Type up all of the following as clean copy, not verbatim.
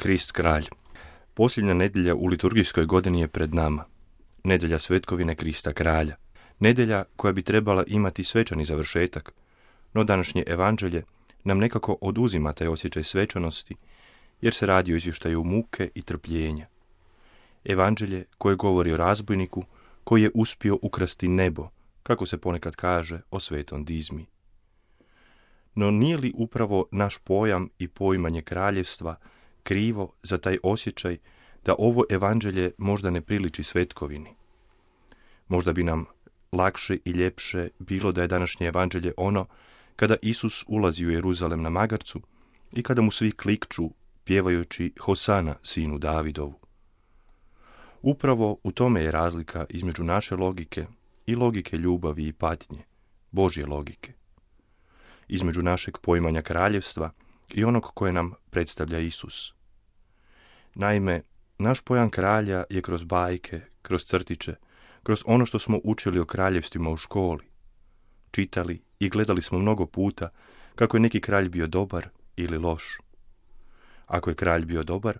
Krist kralj. Posljednja nedjelja u liturgijskoj godini je pred nama. Nedjelja svetkovine Krista kralja. Nedjelja koja bi trebala imati svečani završetak, no današnje evanđelje nam nekako oduzima taj osjećaj svečanosti, jer se radi o izvještaju muke i trpljenja. Evanđelje koje govori o razbojniku koji je uspio ukrasti nebo, kako se ponekad kaže o svetom Dizmi. No nije li upravo naš pojam i poimanje kraljevstva krivo za taj osjećaj da ovo evanđelje možda ne priliči svetkovini? Možda bi nam lakše i ljepše bilo da je današnje evanđelje ono kada Isus ulazi u Jeruzalem na magarcu i kada mu svi klikću pjevajući Hosana sinu Davidovu. Upravo u tome je razlika između naše logike i logike ljubavi i patnje, Božje logike. Između našeg poimanja kraljevstva i onog koje nam predstavlja Isus. Naime, naš pojam kralja je kroz bajke, kroz crtiće, kroz ono što smo učili o kraljevstvima u školi. Čitali i gledali smo mnogo puta kako je neki kralj bio dobar ili loš. Ako je kralj bio dobar,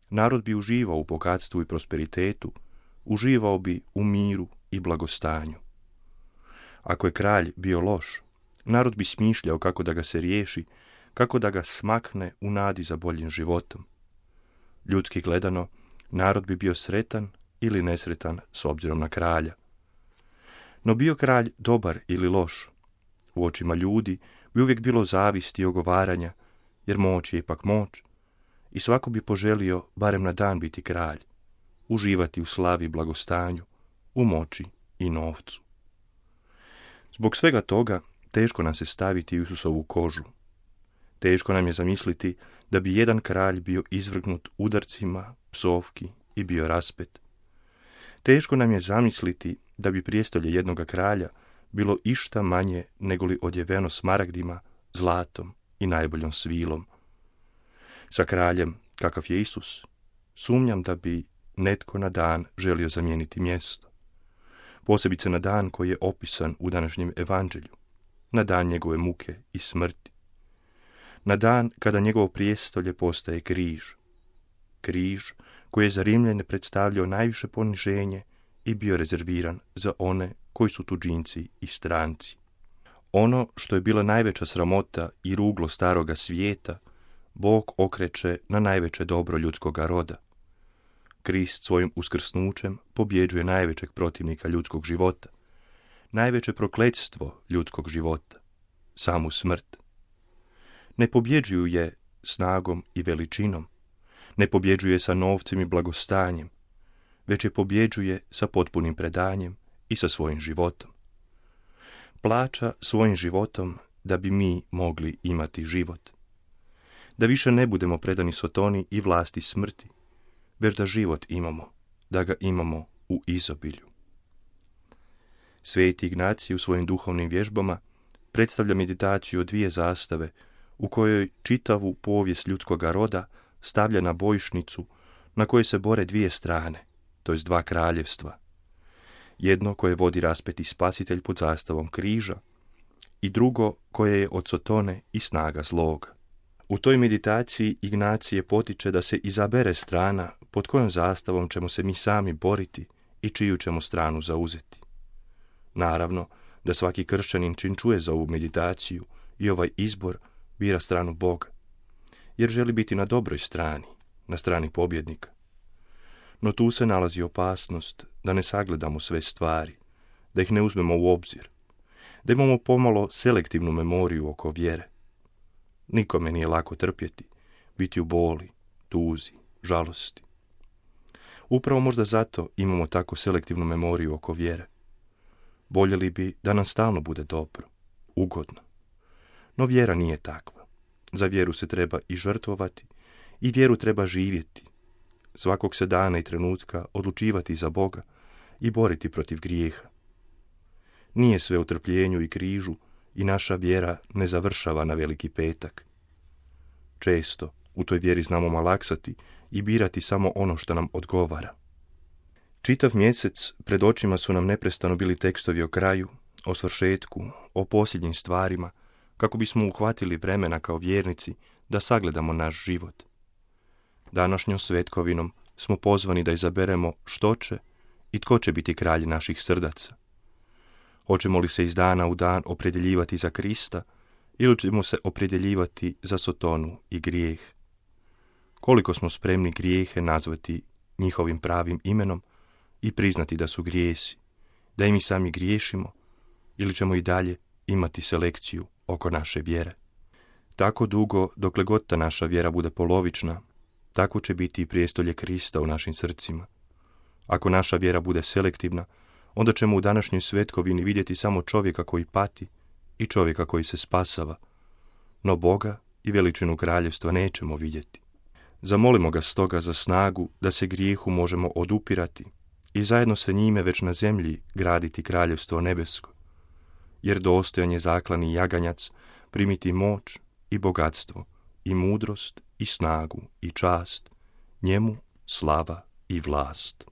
narod bi uživao u bogatstvu i prosperitetu, uživao bi u miru i blagostanju. Ako je kralj bio loš, narod bi smišljao kako da ga se riješi, kako da ga smakne u nadi za boljim životom. Ljudski gledano, narod bi bio sretan ili nesretan s obzirom na kralja. No bio kralj dobar ili loš, u očima ljudi bi uvijek bilo zavisti i ogovaranja, jer moć je ipak moć, i svako bi poželio barem na dan biti kralj, uživati u slavi i blagostanju, u moći i novcu. Zbog svega toga teško nam se staviti u Isusovu kožu. Teško nam je zamisliti da bi jedan kralj bio izvrgnut udarcima, psovki i bio raspet. Teško nam je zamisliti da bi prijestolje jednoga kralja bilo išta manje negoli odjeveno smaragdima, zlatom i najboljom svilom. Sa kraljem, kakav je Isus, sumnjam da bi netko na dan želio zamijeniti mjesto. Posebice na dan koji je opisan u današnjem evanđelju, na dan njegove muke i smrti. Na dan kada njegovo prijestolje postaje križ. Križ koji je za Rimljane predstavljao najviše poniženje i bio rezerviran za one koji su tuđinci i stranci. Ono što je bila najveća sramota i ruglo staroga svijeta, Bog okreće na najveće dobro ljudskoga roda. Krist svojim uskrsnućem pobjeđuje najvećeg protivnika ljudskog života, najveće prokletstvo ljudskog života, samu smrt. Ne pobjeđuju je snagom i veličinom, ne pobjeđuje sa novcem i blagostanjem, već je pobjeđuje sa potpunim predanjem i sa svojim životom. Plaća svojim životom da bi mi mogli imati život. Da više ne budemo predani sotoni i vlasti smrti, već da život imamo, da ga imamo u izobilju. Sveti Ignacij u svojim duhovnim vježbama predstavlja meditaciju o dvije zastave u kojoj čitavu povijest ljudskoga roda stavlja na bojišnicu na kojoj se bore dvije strane, to jest dva kraljevstva. Jedno koje vodi raspeti spasitelj pod zastavom križa i drugo koje je od sotone i snaga zloga. U toj meditaciji Ignacije potiče da se izabere strana pod kojom zastavom ćemo se mi sami boriti i čiju ćemo stranu zauzeti. Naravno da svaki kršćanin čim čuje za ovu meditaciju i ovaj izbor bira stranu Boga, jer želi biti na dobroj strani, na strani pobjednika. No tu se nalazi opasnost da ne sagledamo sve stvari, da ih ne uzmemo u obzir, da imamo pomalo selektivnu memoriju oko vjere. Nikome nije lako trpjeti, biti u boli, tuzi, žalosti. Upravo možda zato imamo tako selektivnu memoriju oko vjere. Voljeli bi da nam stalno bude dobro, ugodno. No vjera nije takva. Za vjeru se treba i žrtvovati i vjeru treba živjeti. Svakog se dana i trenutka odlučivati za Boga i boriti protiv grijeha. Nije sve u trpljenju i križu i naša vjera ne završava na Veliki petak. Često u toj vjeri znamo malaksati i birati samo ono što nam odgovara. Čitav mjesec pred očima su nam neprestano bili tekstovi o kraju, o svršetku, o posljednjim stvarima, kako bismo uhvatili vremena kao vjernici da sagledamo naš život. Današnjom svetkovinom smo pozvani da izaberemo što će i tko će biti kralj naših srdaca. Hoćemo li se iz dana u dan opredjeljivati za Krista ili ćemo se opredjeljivati za sotonu i grijeh? Koliko smo spremni grijehe nazvati njihovim pravim imenom i priznati da su grijesi, da i mi sami griješimo, ili ćemo i dalje imati selekciju oko naše vjere? Tako dugo, dokle god ta naša vjera bude polovična, tako će biti i prijestolje Krista u našim srcima. Ako naša vjera bude selektivna, onda ćemo u današnjoj svetkovini vidjeti samo čovjeka koji pati i čovjeka koji se spasava, no Boga i veličinu kraljevstva nećemo vidjeti. Zamolimo ga stoga za snagu da se grijehu možemo odupirati i zajedno sa njime već na zemlji graditi kraljevstvo nebesko, jer dostojan je zaklani jaganjac primiti moć i bogatstvo i mudrost i snagu i čast, njemu slava i vlast.